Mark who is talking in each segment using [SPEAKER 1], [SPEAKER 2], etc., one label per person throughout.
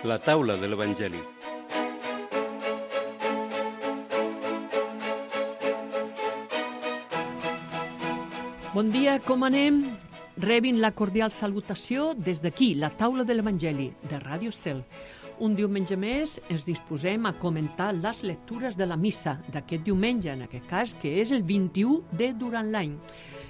[SPEAKER 1] La taula de l'Evangeli.
[SPEAKER 2] Bon dia, com anem? Rebin la cordial salutació des d'aquí, la taula de l'Evangeli, de Ràdio Estel. Un diumenge més ens disposem a comentar les lectures de la missa d'aquest diumenge, en aquest cas, que és el 21 de durant l'any.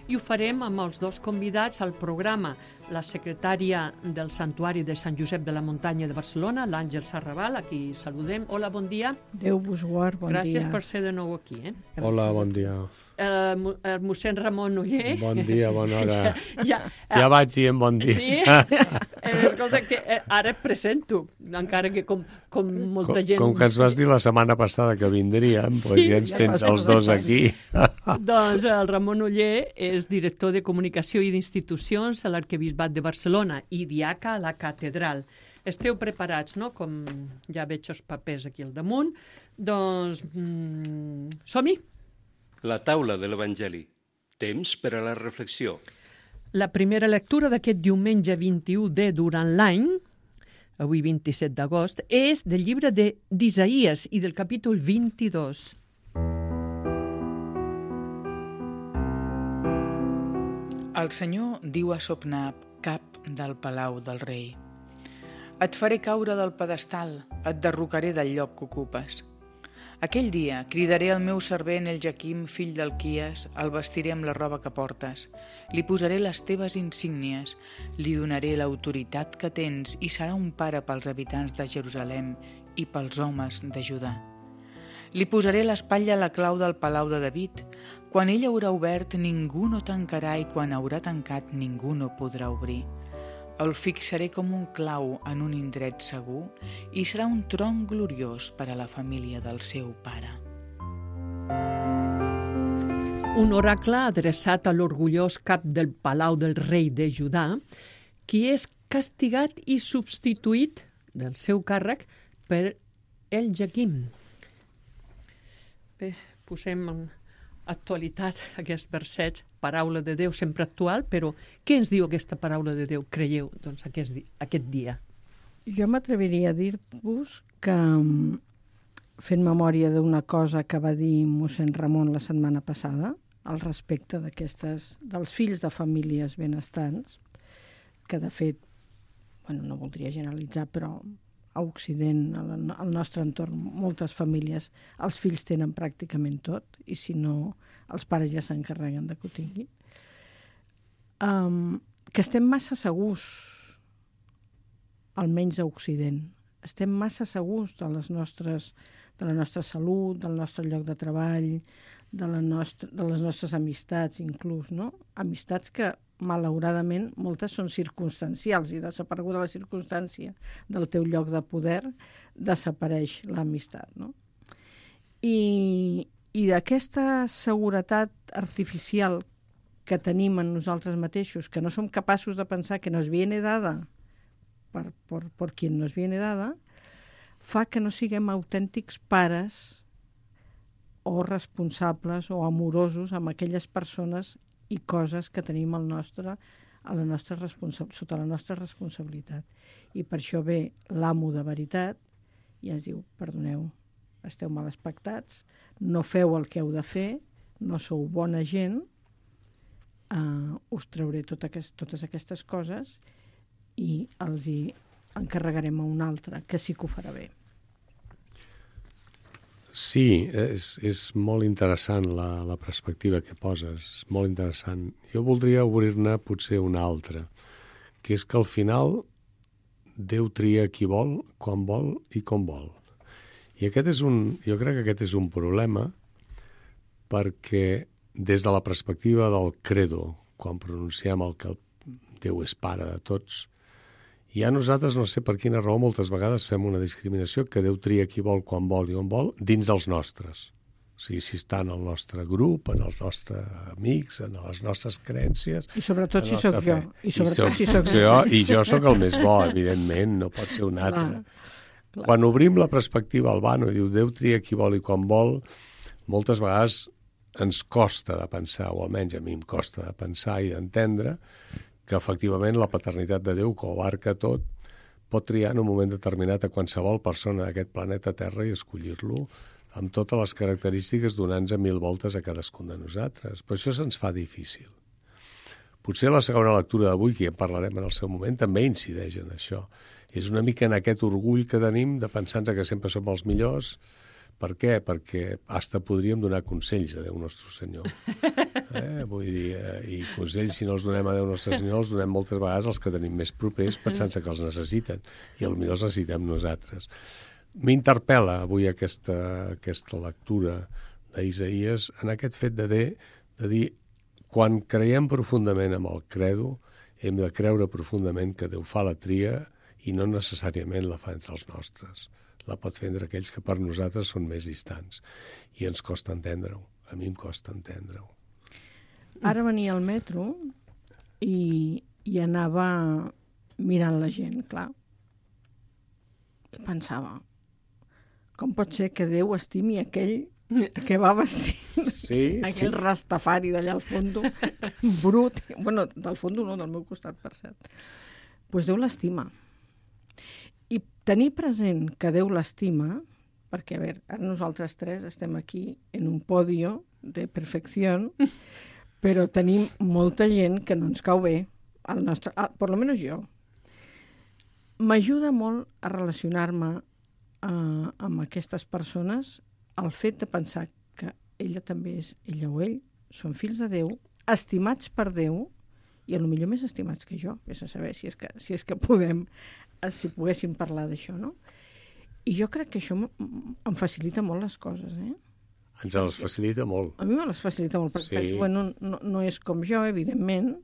[SPEAKER 2] I ho farem amb els dos convidats al programa, la secretària del Santuari de Sant Josep de la Muntanya de Barcelona, l'Àngel Sarrabal, a qui saludem. Hola, bon dia.
[SPEAKER 3] Déu vos guard, bon
[SPEAKER 2] Gràcies
[SPEAKER 3] dia.
[SPEAKER 2] per ser de nou aquí.
[SPEAKER 4] Hola, bon dia.
[SPEAKER 2] El mossèn Ramon Oller.
[SPEAKER 4] Bon dia, bona hora.
[SPEAKER 2] Ja
[SPEAKER 4] vaig dient bon dia.
[SPEAKER 2] Sí? Escolta, que ara et presento, encara que com molta gent...
[SPEAKER 4] Com que ens vas dir la setmana passada que vindríem, doncs ja ens tens els dos aquí.
[SPEAKER 2] Doncs el Ramon Oller és director de Comunicació i d'Institucions a l'Arquebisbat de Barcelona i diaca a la Catedral. Esteu preparats, no?, com ja veig els papers aquí al damunt. Doncs som-hi!
[SPEAKER 1] La taula de l'Evangeli. Temps per a la reflexió.
[SPEAKER 2] La primera lectura d'aquest diumenge 21 de durant l'any, avui 27 d'agost, és del llibre d'Isaïes i del capítol 22.
[SPEAKER 5] El Senyor diu a Sopnab, cap del palau del rei: et faré caure del pedestal, et derrocaré del lloc que ocupes. Aquell dia cridaré al meu servent el Jaquim, fill d'Alquies, el vestiré amb la roba que portes, li posaré les teves insígnies, li donaré l'autoritat que tens i serà un pare pels habitants de Jerusalem i pels homes de Judà. Li posaré l'espatlla a la clau del palau de David. Quan ell haurà obert, ningú no tancarà, i quan haurà tancat, ningú no podrà obrir. El fixaré com un clau en un indret segur i serà un tron gloriós per a la família del seu pare.
[SPEAKER 2] Un oracle adreçat a l'orgullós cap del palau del rei de Judà, qui és castigat i substituït del seu càrrec per el Jaquim. Bé, posem en actualitat aquest verset, paraula de Déu sempre actual, però què ens diu aquesta paraula de Déu, creieu, doncs, aquest dia?
[SPEAKER 3] Jo m'atreviria a dir-vos que, fent memòria d'una cosa que va dir mossèn Ramon la setmana passada, al respecte dels fills de famílies benestants, que de fet, no voldria generalitzar, però a Occident, al nostre entorn, moltes famílies, els fills tenen pràcticament tot, i si no, els pares ja s'encarreguen de que ho tinguin. Que estem massa segurs, almenys a Occident, estem massa segurs de la nostra salut, del nostre lloc de treball, de les nostres amistats, inclús, no? Amistats que, malauradament, moltes són circumstancials, i desapareguda la circumstància del teu lloc de poder, desapareix l'amistat, no? I d'aquesta seguretat artificial que tenim en nosaltres mateixos, que no som capaços de pensar que nos viene dada por quien nos viene dada, fa que no siguem autèntics pares o responsables o amorosos amb aquelles persones i coses que tenim sota la nostra responsabilitat. I per això ve l'amo de veritat i ens diu: perdoneu, esteu mal expectats, no feu el que heu de fer, no sou bona gent, us trauré totes aquestes coses i els hi encarregarem a un altre, que sí que ho farà bé.
[SPEAKER 4] Sí, és molt interessant la perspectiva que poses, és molt interessant. Jo voldria obrir-ne potser una altra, que és que al final Déu tria qui vol, quan vol i com vol. I jo crec que aquest és un problema, perquè des de la perspectiva del credo, quan pronunciem el que Déu és pare de tots, ja nosaltres, no sé per quina raó, moltes vegades fem una discriminació que Déu tria qui vol, quan vol i on vol, dins dels nostres. O sigui, si està en el nostre grup, en els nostres amics, en les nostres creences...
[SPEAKER 3] I sobretot si sóc jo.
[SPEAKER 4] I jo sóc el més bo, evidentment, no pot ser un altre. Clar. Quan obrim la perspectiva al vano i diu Déu tria qui vol i quan vol, moltes vegades ens costa de pensar, o almenys a mi em costa de pensar i d'entendre, que efectivament la paternitat de Déu, que ho abarca tot, pot triar en un moment determinat a qualsevol persona d'aquest planeta Terra i escollir-lo amb totes les característiques donant-nos 1000 voltes a cadascun de nosaltres. Però això se'ns fa difícil. Potser la segona lectura d'avui, que ja en parlarem en el seu moment, també incideix en això. És una mica en aquest orgull que tenim de pensar-nos que sempre som els millors. Per què? Perquè hasta podríem donar consells a Déu Nostre Senyor. Vull dir, i consells, si no els donem a Déu Nostre Senyor, els donem moltes vegades als que tenim més propers pensant-se que els necessiten. I potser els necessitem nosaltres. M'interpel·la avui aquesta lectura d'Isaïes en aquest fet de dir quan creiem profundament en el credo, hem de creure profundament que Déu fa la tria i no necessàriament la fa entre els nostres. La pot fer entre aquells que per nosaltres són més distants. I ens costa entendre-ho. A mi em costa entendre-ho.
[SPEAKER 3] Ara venia al metro i anava mirant la gent, clar. I pensava, com pot ser que Déu estimi aquell que va vestir aquell rastafari d'allà al fondo, brut. Bueno, del fondo no, del meu costat, per cert. Doncs Déu l'estima. I tenir present que Déu l'estima, perquè, a veure, ara nosaltres tres estem aquí en un podio de perfecció, però tenim molta gent que no ens cau bé, per lo menos jo. M'ajuda molt a relacionar-me amb aquestes persones el fet de pensar que ella també és, ella o ell, són fills de Déu, estimats per Déu, i potser més estimats que jo, vés a saber si és que si poguéssim parlar d'això, no? I jo crec que això em facilita molt les coses,
[SPEAKER 4] Ens les facilita molt.
[SPEAKER 3] A mi me les facilita molt, perquè penso, bueno, no és com jo, evidentment.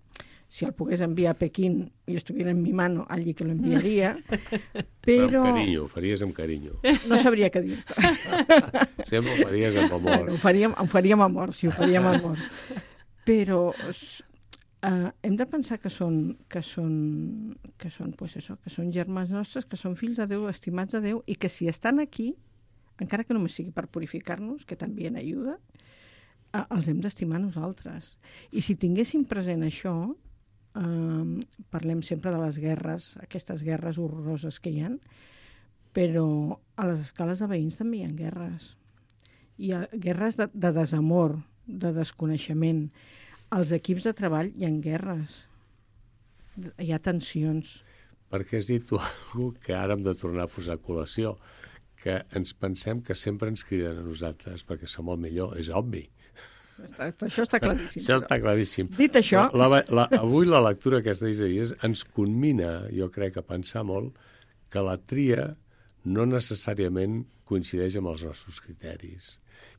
[SPEAKER 3] Si el pogués enviar a Pequín i estuviera en mi mano, allí que lo enviaria, però...
[SPEAKER 4] Amb carinyo, ho faries amb carinyo.
[SPEAKER 3] No sabria què dir-te.
[SPEAKER 4] Sempre ho faries amb amor.
[SPEAKER 3] Ho faríem amor, sí, ho faríem amor. Però hem de pensar que són germans nostres, que són fills de Déu, estimats de Déu, i que si estan aquí, encara que només sigui per purificar-nos, que també en ajuda, els hem d'estimar nosaltres. I si tinguéssim present això, parlem sempre de les guerres, aquestes guerres horroroses que hi ha, però a les escales de veïns també hi ha guerres. Hi ha guerres de desamor, de desconeixement. Als equips de treball hi ha guerres. Hi ha tensions.
[SPEAKER 4] Perquè has dit tu alguna que ara hem de tornar a posar a col·lació, que ens pensem que sempre ens criden a nosaltres perquè som el millor. És obvi.
[SPEAKER 3] Això està claríssim.
[SPEAKER 4] Això està claríssim.
[SPEAKER 3] Dit això...
[SPEAKER 4] Avui la lectura aquesta d'Isaïes ens conmina, jo crec, a pensar molt que la tria no necessàriament coincideix amb els nostres criteris.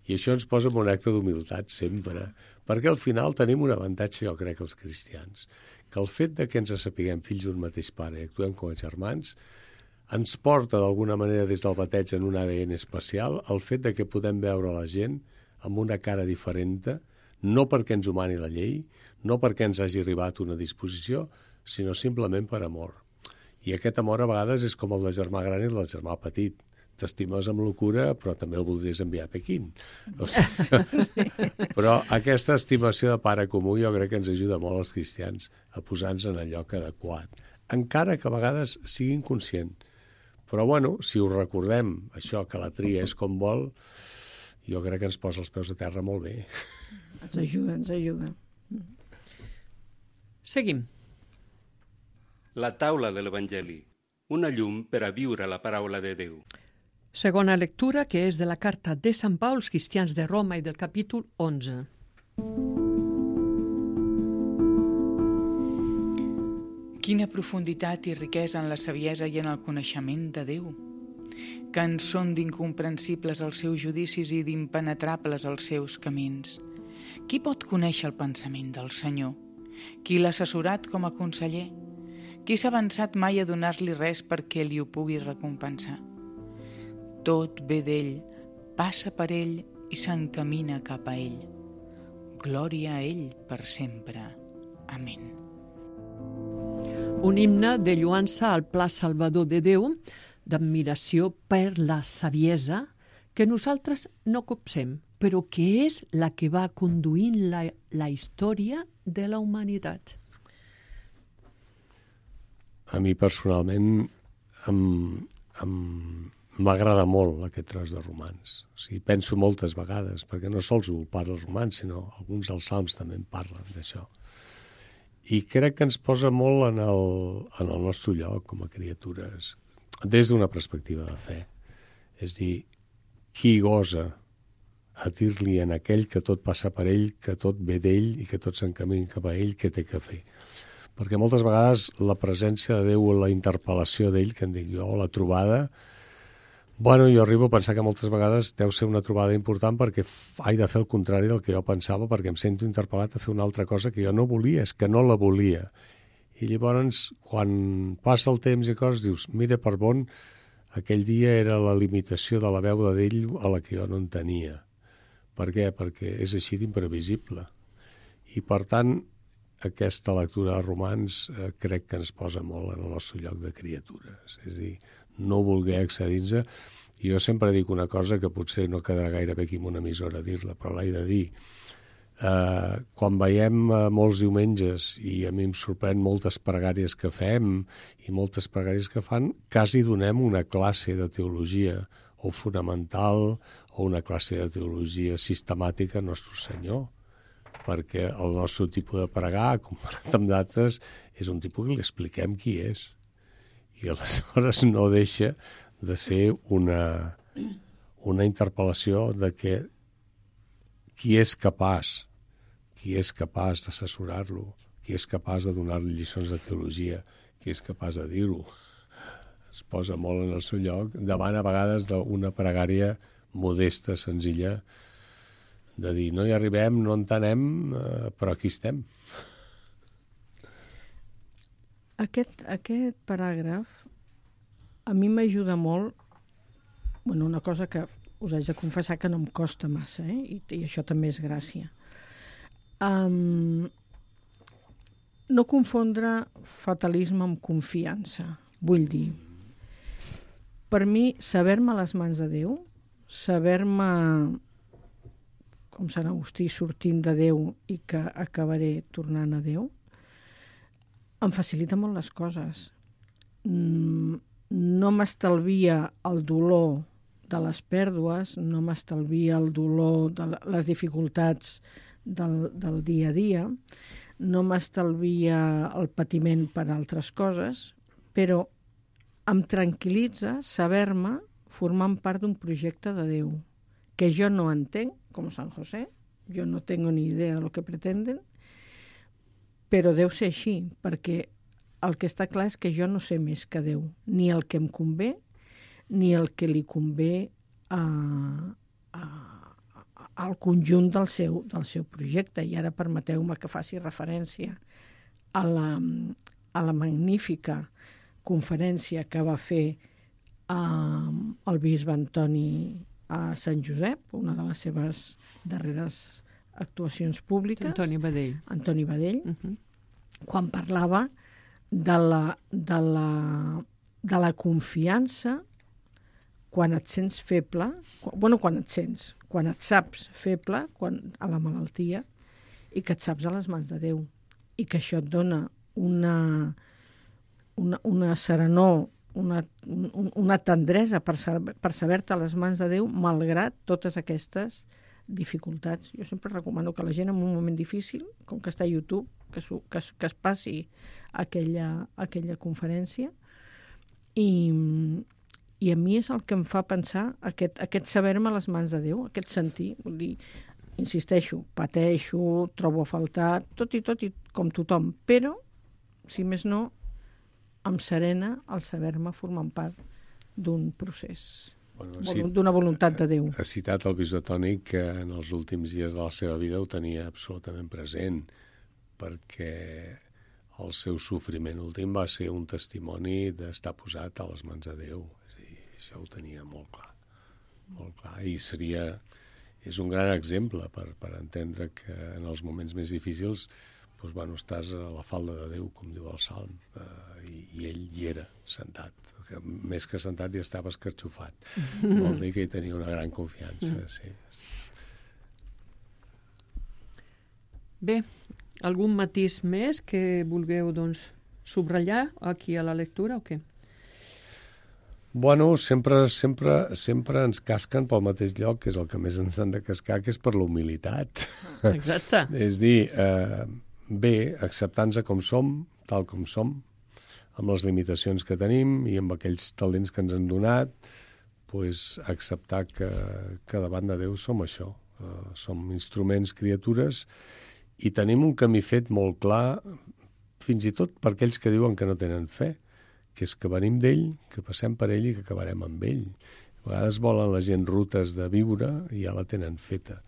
[SPEAKER 4] I això ens posa en un acte d'humilitat sempre, perquè al final tenim un avantatge, jo crec, els cristians, que el fet de que ens sapiguem fills d'un mateix pare i actuem com a germans ens porta d'alguna manera des del bateig en un ADN especial el fet de que podem veure la gent amb una cara diferent, no perquè ens ho mani la llei, no perquè ens hagi arribat una disposició, sinó simplement per amor. I aquest amor a vegades és com el de germà gran i el del germà petit. T'estimes amb locura, però també el voldries enviar a Pequín. O sigui, però aquesta estimació de pare comú jo crec que ens ajuda molt als cristians a posar-nos en el lloc adequat, encara que a vegades sigui inconscient. Però bueno, si ho recordem, això que la tria és com vol, jo crec que ens posa els peus a terra molt bé.
[SPEAKER 3] Ens ajuda.
[SPEAKER 2] Seguim.
[SPEAKER 1] La taula de l'Evangeli, una llum per a viure la paraula de Déu.
[SPEAKER 2] Segona lectura, que és de la carta de Sant Pau als cristians de Roma i del capítol 11.
[SPEAKER 5] Quina profunditat i riquesa en la saviesa i en el coneixement de Déu, que ens són d'incomprensibles els seus judicis i d'impenetrables els seus camins. Qui pot conèixer el pensament del Senyor? Qui l'ha assessorat com a conseller? Qui s'ha avançat mai a donar-li res perquè li ho pugui recompensar? Tot ve d'ell, passa per ell i s'encamina cap a ell. Glòria a ell per sempre. Amén.
[SPEAKER 2] Un himne de lluança al pla salvador de Déu, d'admiració per la saviesa que nosaltres no copsem, però que és la que va conduint la història de la humanitat.
[SPEAKER 4] A mi personalment m'agrada molt aquest tros de romans. O sigui, penso moltes vegades, perquè no sols ho parla el romans, sinó alguns dels salms també en parlen d'això. I crec que ens posa molt en el nostre lloc com a criatures, des d'una perspectiva de fe. És dir, qui gosa a dir-li en aquell que tot passa per ell, que tot ve d'ell i que tot s'encamina cap a ell, què té que fer. Perquè moltes vegades la presència de Déu o la interpel·lació d'ell, que en dic jo, la trobada, bueno, jo arribo a pensar que moltes vegades deu ser una trobada important perquè he de fer el contrari del que jo pensava, perquè em sento interpel·lat a fer una altra cosa que jo no volia, és que no la volia. I llavors, quan passa el temps i coses, dius, mira, per bon, aquell dia era la limitació de la veu d'ell a la que jo no en tenia. Per què? Perquè és així d'imprevisible. I, per tant, aquesta lectura de romans crec que ens posa molt en el nostre lloc de criatures. És a dir, no voler accedir-nos. Jo sempre dic una cosa que potser no quedarà gaire bé aquí en una emissora dir-la, però l'he de dir. Quan veiem molts diumenges, i a mi em sorprèn moltes pregàries que fem i moltes pregàries que fan, quasi donem una classe de teologia o fonamental o una classe de teologia sistemàtica a Nostre Senyor, perquè el nostre tipus de pregar, comparat amb d'altres, és un tipus que li expliquem qui és. I aleshores no deixa de ser una interpel·lació de que qui és capaç d'assessorar-lo, qui és capaç de donar-li lliçons de teologia, qui és capaç de dir-ho. Es posa molt en el seu lloc, davant a vegades d'una pregària modesta, senzilla, de dir, no hi arribem, no entenem, però aquí estem.
[SPEAKER 3] Aquest paràgraf a mi m'ajuda molt, bueno, una cosa que us haig de confessar que no em costa massa, i això també és gràcia. No confondre fatalisme amb confiança. Vull dir, per mi, saber-me a les mans de Déu, saber-me, com Sant Agustí, sortint de Déu i que acabaré tornant a Déu, em facilita molt les coses. No m'estalvia el dolor de les pèrdues, no m'estalvia el dolor de les dificultats del dia a dia, no m'estalvia el patiment per altres coses, però em tranquil·litza saber-me formant part d'un projecte de Déu, que jo no entenc, com Sant José, jo no tengo ni idea de lo que pretenden, però deu ser així, perquè el que està clar és que jo no sé més que Déu, ni el que em convé, ni el que li convé al conjunt del seu projecte. I ara permeteu-me que faci referència a la magnífica conferència que va fer el bisbe Antoni a Sant Josep, una de les seves darreres actuacions públiques.
[SPEAKER 2] Antoni Badell.
[SPEAKER 3] Antoni Badell, quan parlava de la confiança quan et sents feble, quan et saps feble a la malaltia i que et saps a les mans de Déu i que això et dona una serenor, una tendresa per saber-te a les mans de Déu malgrat totes aquestes dificultats. Jo sempre recomano que la gent en un moment difícil, com que està a YouTube, que es passi aquella conferència i a mi és el que em fa pensar aquest saber-me a les mans de Déu, aquest sentir, vull dir, insisteixo, pateixo, trobo a faltar, tot i com tothom, però, si més no, em serena el saber-me formant part d'un procés, d'una voluntat de Déu.
[SPEAKER 4] Ha citat el bisbe Toni que en els últims dies de la seva vida ho tenia absolutament present, perquè el seu sofriment últim va ser un testimoni d'estar posat a les mans de Déu. Això ho tenia molt clar, molt clar. I és un gran exemple per entendre que en els moments més difícils estàs a la falda de Déu, com diu el Salm, i ell hi era, sentat. Més que sentat, hi estava escarxofat. Vol dir que hi tenia una gran confiança, sí.
[SPEAKER 2] Bé, algun matís més que vulgueu subratllar aquí a la lectura o què?
[SPEAKER 4] Bueno, sempre ens casquen pel mateix lloc, que és el que més ens han de cascar, que és per la humilitat.
[SPEAKER 2] Exacte.
[SPEAKER 4] És dir, bé, acceptant-nos com som, tal com som, amb les limitacions que tenim i amb aquells talents que ens han donat, pues, acceptar que davant de Déu som això. Som instruments, criatures, i tenim un camí fet molt clar, fins i tot per aquells que diuen que no tenen fe, que és que venim d'ell, que passem per ell i que acabarem amb ell. A vegades volen la gent rutes de viure i ja la tenen feta.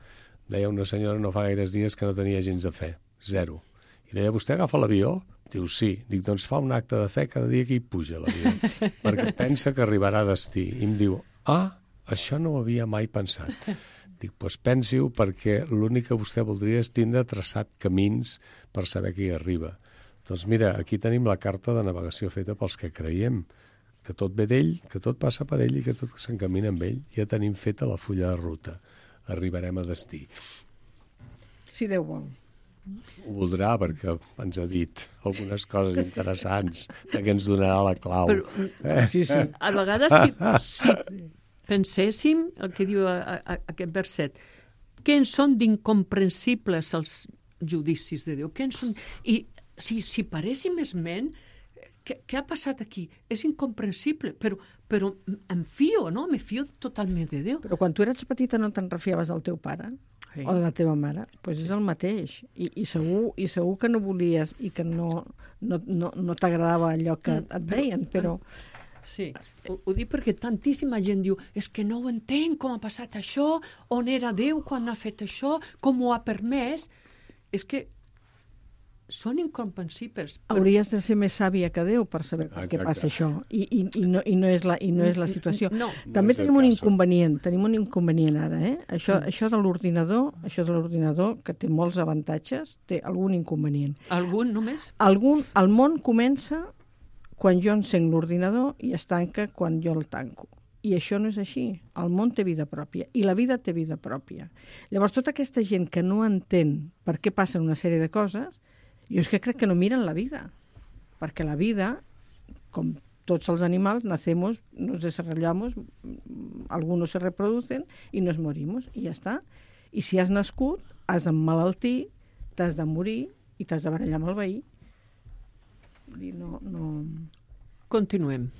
[SPEAKER 4] Deia una senyora no fa gaires dies que no tenia gens de fe, 0. I deia, vostè agafa l'avió? Diu, sí. Dic, doncs fa un acte de fe cada dia que hi puja l'avió, perquè pensa que arribarà a destí. I em diu, això no ho havia mai pensat. Dic, doncs pensi-ho, perquè l'únic que vostè voldria és tindre traçat camins per saber que hi arriba. Doncs mira, aquí tenim la carta de navegació feta pels que creiem, que tot ve d'ell, que tot passa per ell i que tot s'encamina amb ell. Ja tenim feta la fulla de ruta. Arribarem a destí.
[SPEAKER 3] Si Déu vol.
[SPEAKER 4] Ho voldrà, perquè ens ha dit algunes coses interessants que ens donarà la clau.
[SPEAKER 2] Però,
[SPEAKER 3] Sí.
[SPEAKER 2] a vegades, si penséssim el que diu aquest verset, què en són d'incomprensibles els judicis de Déu? Què en són... I si paréssim esment, què ha passat aquí? És incomprensible, però em fio, no? Me fio totalment de Déu.
[SPEAKER 3] Però quan tu eres petita no te'n refiaves del teu pare?
[SPEAKER 2] Sí.
[SPEAKER 3] O de la teva mare? Doncs és el mateix. I segur que no volies i que no t'agradava allò que et deien, però...
[SPEAKER 2] Sí, ho dic perquè tantíssima gent diu és que no ho entenc, com ha passat això, on era Déu quan ha fet això, com ho ha permès. És que són incomprensibles.
[SPEAKER 3] Hauries de ser més sàvia que Déu per saber per què passa això. I no és la situació.
[SPEAKER 2] No.
[SPEAKER 3] També tenim un inconvenient ara, eh? Això de l'ordinador, que té molts avantatges, té algun inconvenient.
[SPEAKER 2] Algun només?
[SPEAKER 3] El món comença quan jo encenc l'ordinador i es tanca quan jo el tanco. I això no és així. El món té vida pròpia i la vida té vida pròpia. Llavors, tota aquesta gent que no entén per què passen una sèrie de coses, jo és que crec que no miren la vida. Perquè la vida, com tots els animals, nacemos, nos desarrollamos, algunos se reproducen y nos morimos, i ja està. I si has nascut, has d'emmalaltir, t'has de morir i t'has de barallar amb el veí.
[SPEAKER 2] Continuem.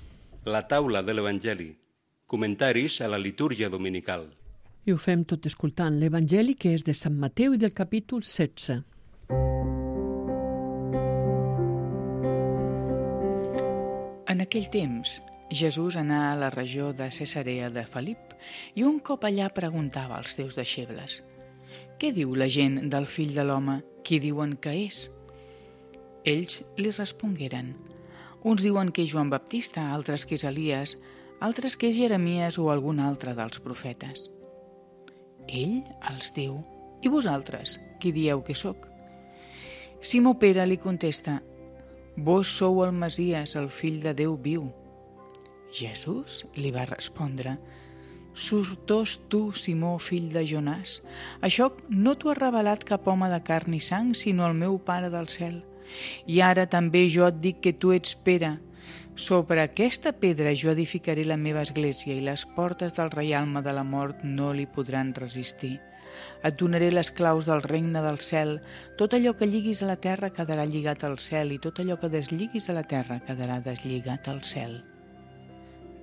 [SPEAKER 1] La taula de l'Evangeli. Comentaris a la litúrgia dominical.
[SPEAKER 2] I ho fem tot escoltant l'Evangeli, que és de Sant Mateu i del capítol 16.
[SPEAKER 5] En aquell temps, Jesús anà a la regió de Cesarea de Felip i un cop allà preguntava als seus deixebles: «Què diu la gent del fill de l'home? Qui diuen que és?» Ells li respongueren: «Uns diuen que és Joan Baptista, altres que és Elies, altres que és Jeremies o algun altre dels profetes». Ell els diu: «I vosaltres, qui dieu que sóc?» Simó Pere li contesta: «Vos sou el Messies, el fill de Déu viu». Jesús li va respondre: «Sortós tu, Simó, fill de Jonàs, això no t'ho ha revelat cap home de carn i sang, sinó el meu Pare del cel. I ara també jo et dic que tu ets Pere. Sobre aquesta pedra jo edificaré la meva església i les portes del reialme de la mort no li podran resistir. Et donaré les claus del regne del cel. Tot allò que lliguis a la terra quedarà lligat al cel i tot allò que desliguis a la terra quedarà deslligat al cel».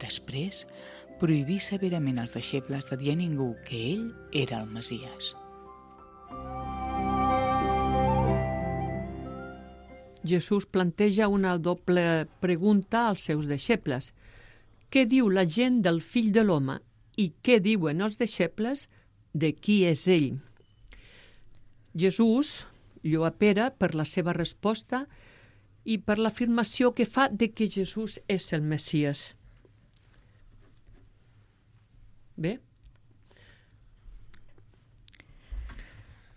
[SPEAKER 5] Després, prohibí severament als deixebles de dir a ningú que ell era el Messies.
[SPEAKER 2] Jesús planteja una doble pregunta als seus deixebles. Què diu la gent del fill de l'home i què diuen els deixebles de qui és ell? Jesús lloa Pere per la seva resposta i per l'afirmació que fa de que Jesús és el Messies. Bé?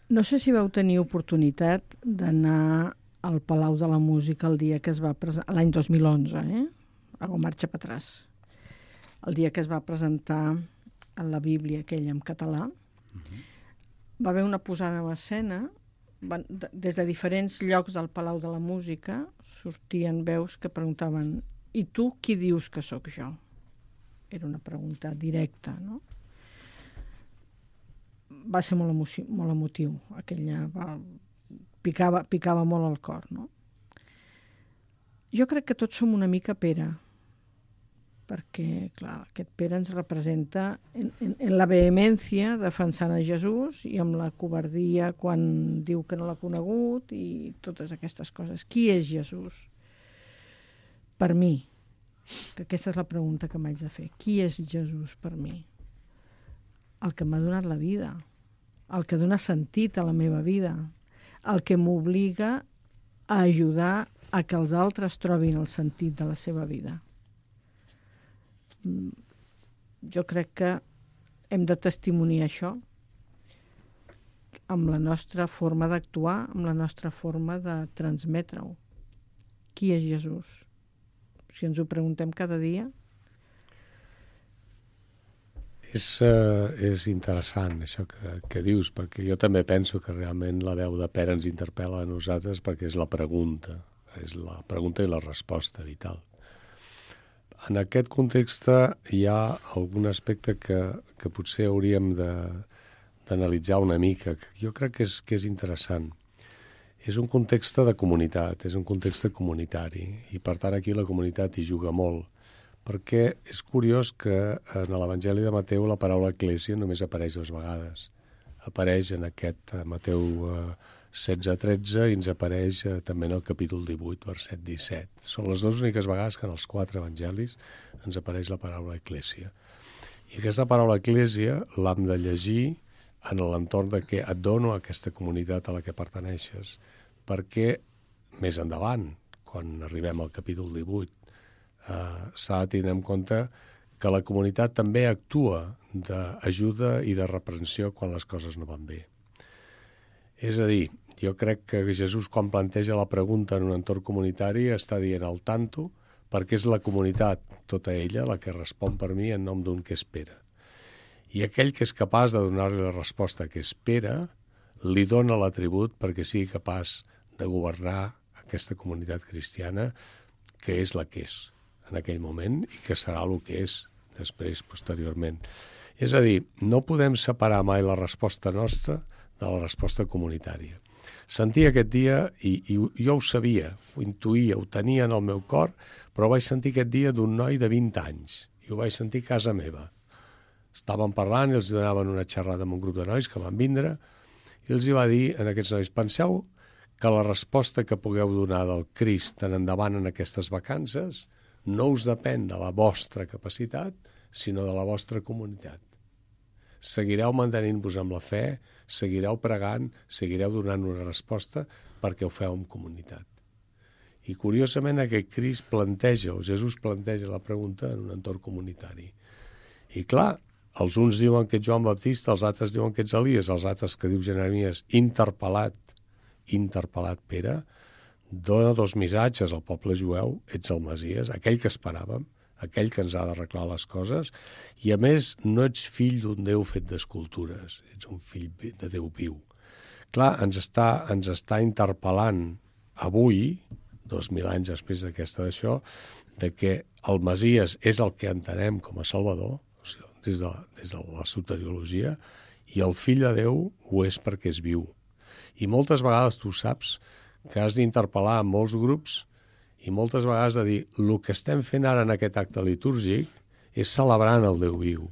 [SPEAKER 3] No sé si vau tenir oportunitat d'anar al Palau de la Música el dia que es va presentar, l'any 2011, hago marxa per atrás. El dia que es va presentar en la Bíblia aquella en català, va haver una posada en escena, des de diferents llocs del Palau de la Música sortien veus que preguntaven: «I tu qui dius que sóc jo?» era una pregunta directa, no? Va ser molt emotiu. Aquella picava molt al cor, no? Jo crec que tots som una mica Pere, perquè, clar, aquest Pere ens representa en la vehemència defensant a Jesús i amb la covardia quan diu que no l'ha conegut i totes aquestes coses. Qui és Jesús? Per mi, que aquesta és la pregunta que m'haig de fer. Qui és Jesús per mi? El que m'ha donat la vida, el que dona sentit a la meva vida, el que m'obliga a ajudar a que els altres trobin el sentit de la seva vida. Jo crec que hem de testimoniar això amb la nostra forma d'actuar, amb la nostra forma de transmetre-ho. Qui és Jesús? Si ens ho preguntem cada dia.
[SPEAKER 4] És interessant això que dius, perquè jo també penso que realment la veu de Pere ens interpel·la a nosaltres perquè és la pregunta i la resposta vital. En aquest context hi ha algun aspecte que potser hauríem d'analitzar una mica, que jo crec que és interessant. És un context de comunitat, és un context comunitari, i per tant aquí la comunitat hi juga molt, perquè és curiós que en l'Evangeli de Mateu la paraula Eclèsia només apareix 2 vegades. Apareix en aquest Mateu 16-13 i ens apareix també en el capítol 18, verset 17. Són les 2 úniques vegades que en els 4 evangelis ens apareix la paraula Eclèsia. I aquesta paraula Eclèsia l'hem de llegir en l'entorn de que et dono aquesta comunitat a la que perteneixes, perquè més endavant, quan arribem al capítol 18, s'ha de tenir en compte que la comunitat també actua d'ajuda i de reprensió quan les coses no van bé. És a dir, jo crec que Jesús, quan planteja la pregunta en un entorn comunitari, està dient al tanto, perquè és la comunitat, tota ella, la que respon per mi en nom d'un que espera. I aquell que és capaç de donar-li la resposta que espera, li dona l'atribut perquè sigui capaç de governar aquesta comunitat cristiana, que és la que és en aquell moment i que serà el que és després, posteriorment. És a dir, no podem separar mai la resposta nostra de la resposta comunitària. Sentia aquest dia, i jo ho sabia, ho intuïa, ho tenia en el meu cor, però ho vaig sentir aquest dia d'un noi de 20 anys, i ho vaig sentir a casa meva. Estàvem parlant i els donaven una xerrada amb un grup de nois que van vindre i els hi va dir a aquests nois: penseu que la resposta que pugueu donar del Crist en endavant en aquestes vacances no us depèn de la vostra capacitat, sinó de la vostra comunitat. Seguireu mantenint-vos amb la fe, seguireu pregant, seguireu donant una resposta perquè ho feu en comunitat. I curiosament aquest Crist planteja, o Jesús planteja la pregunta en un entorn comunitari. I clar, els uns diuen que ets Joan Baptista, els altres diuen que ets Elies, els altres que diu Jeremies, interpel·lat Pere, dona 2 missatges al poble jueu: ets el Messies, aquell que esperàvem, aquell que ens ha d'arreglar les coses, i a més no ets fill d'un Déu fet d'escultures, ets un fill de Déu viu. Clar, ens està interpel·lant avui, 2000 anys després d'això, de que el Messies és el que entenem com a Salvador, des de la soteriologia, i el fill de Déu ho és perquè és viu. I moltes vegades tu saps que has d'interpel·lar en molts grups i moltes vegades de dir el que estem fent ara en aquest acte litúrgic és celebrant el Déu viu,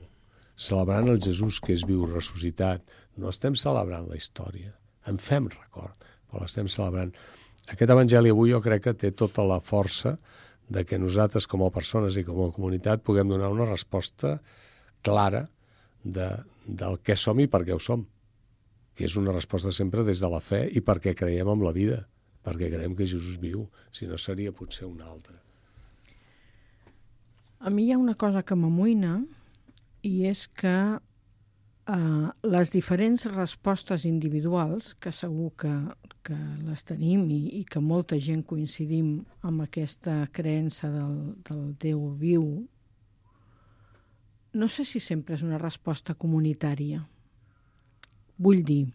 [SPEAKER 4] celebrant el Jesús que és viu, ressuscitat. No estem celebrant la història, en fem record, però l'estem celebrant. Aquest evangeli avui jo crec que té tota la força de que nosaltres com a persones i com a comunitat puguem donar una resposta clara del què som i per què ho som, que és una resposta sempre des de la fe i perquè creiem en la vida, perquè creiem que Jesús viu, si no seria potser un altre.
[SPEAKER 3] A mi hi ha una cosa que m'amoïna i és que les diferents respostes individuals, que segur que les tenim i que molta gent coincidim amb aquesta creença del Déu viu, no sé si sempre és una resposta comunitària. Vull dir,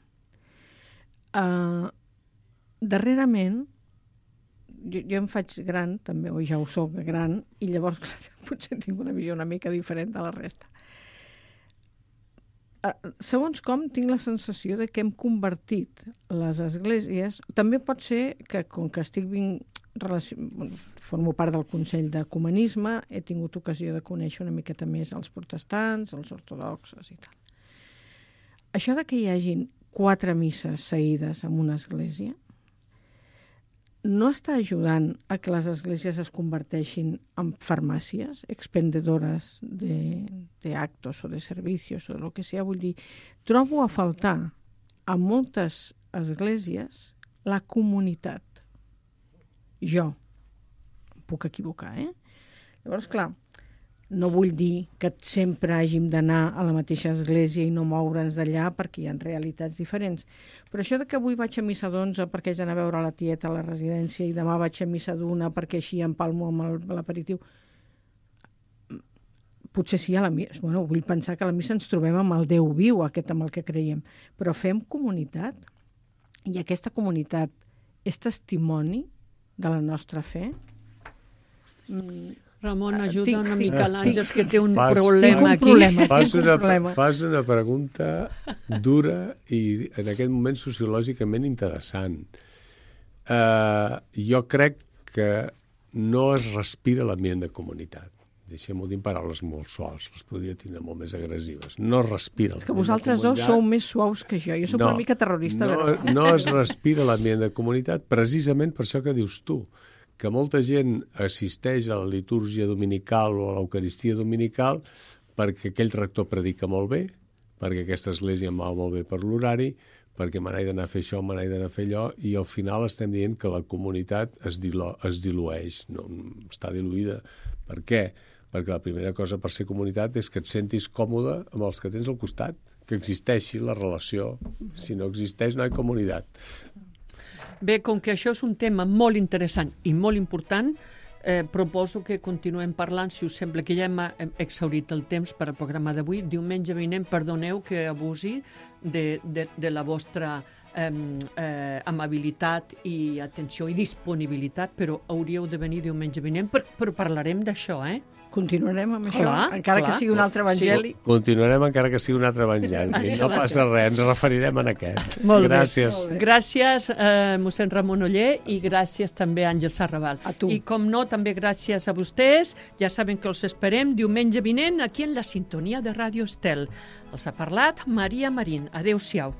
[SPEAKER 3] darrerament, jo em faig gran, també, o ja ho soc gran, i llavors potser tinc una visió una mica diferent de la resta. Segons com, tinc la sensació de que hem convertit les esglésies... També pot ser que, com que formo part del Consell d'Ecumenisme, he tingut ocasió de conèixer una miqueta més els protestants, els ortodoxos i tal. Això de que hi hagin 4 misses seguides en una església no està ajudant a que les esglésies es converteixin en farmàcies expendedores de actos o de servicios o de lo que sea. Vull dir, trobo a faltar a moltes esglésies la comunitat. Jo em puc equivocar, Llavors, clar, no vull dir que sempre hàgim d'anar a la mateixa església i no moure'ns d'allà perquè hi ha realitats diferents. Però això de que avui vaig a missa d'11 perquè haig d'anar a veure la tieta a la residència i demà vaig a missa d'1 perquè així empalmo amb l'aperitiu, potser sí a la missa. Bueno, vull pensar que a la missa ens trobem amb el Déu viu, aquest amb el que creiem, però fem comunitat i aquesta comunitat és testimoni de la nostra fe.
[SPEAKER 2] Ramon, ajuda una mica l'Àngels, que té un
[SPEAKER 4] Fas-
[SPEAKER 2] problema aquí.
[SPEAKER 4] Fas una pregunta dura i en aquest moment sociològicament interessant. Jo crec que no es respira l'ambient de comunitat. Deixem-ho dir en paraules molt suaus, les podria tenir molt més agressives. No es respira.
[SPEAKER 3] És que vosaltres dos sou més suaus que jo. Jo soc una mica terrorista.
[SPEAKER 4] No es respira l'ambient de comunitat precisament per això que dius tu, que molta gent assisteix a la litúrgia dominical o a l'Eucaristia dominical perquè aquell rector predica molt bé, perquè aquesta església em va molt bé per l'horari, perquè me n'he d'anar a fer això, me n'he d'anar a fer allò, i al final estem dient que la comunitat es dilueix, no, està diluïda. Per què? Perquè la primera cosa per ser comunitat és que et sentis còmode amb els que tens al costat, que existeixi la relació. Si no existeix, no hi ha comunitat.
[SPEAKER 2] Bé, com que això és un tema molt interessant i molt important, proposo que continuem parlant, si us sembla, que ja hem exhaurit el temps per al programa d'avui. Diumenge vinent, perdoneu que abusi de la vostra amabilitat i atenció i disponibilitat, però hauríeu de venir diumenge vinent, però parlarem d'això,
[SPEAKER 3] Continuarem amb això,
[SPEAKER 2] Clar,
[SPEAKER 3] encara
[SPEAKER 2] clar.
[SPEAKER 3] que sigui un altre evangeli.
[SPEAKER 4] Sí. Continuarem encara que sigui un altre evangeli. No passa res, ens referirem en aquest.
[SPEAKER 2] Molt
[SPEAKER 4] Gràcies.
[SPEAKER 2] bé. Gràcies, mossèn Ramon Oller, i gràcies també a Àngel Sarraval.
[SPEAKER 3] A tu.
[SPEAKER 2] I com no, també gràcies a vostès. Ja saben que els esperem diumenge vinent aquí en la sintonia de Ràdio Estel. Els ha parlat Maria Marín. Adéu-siau.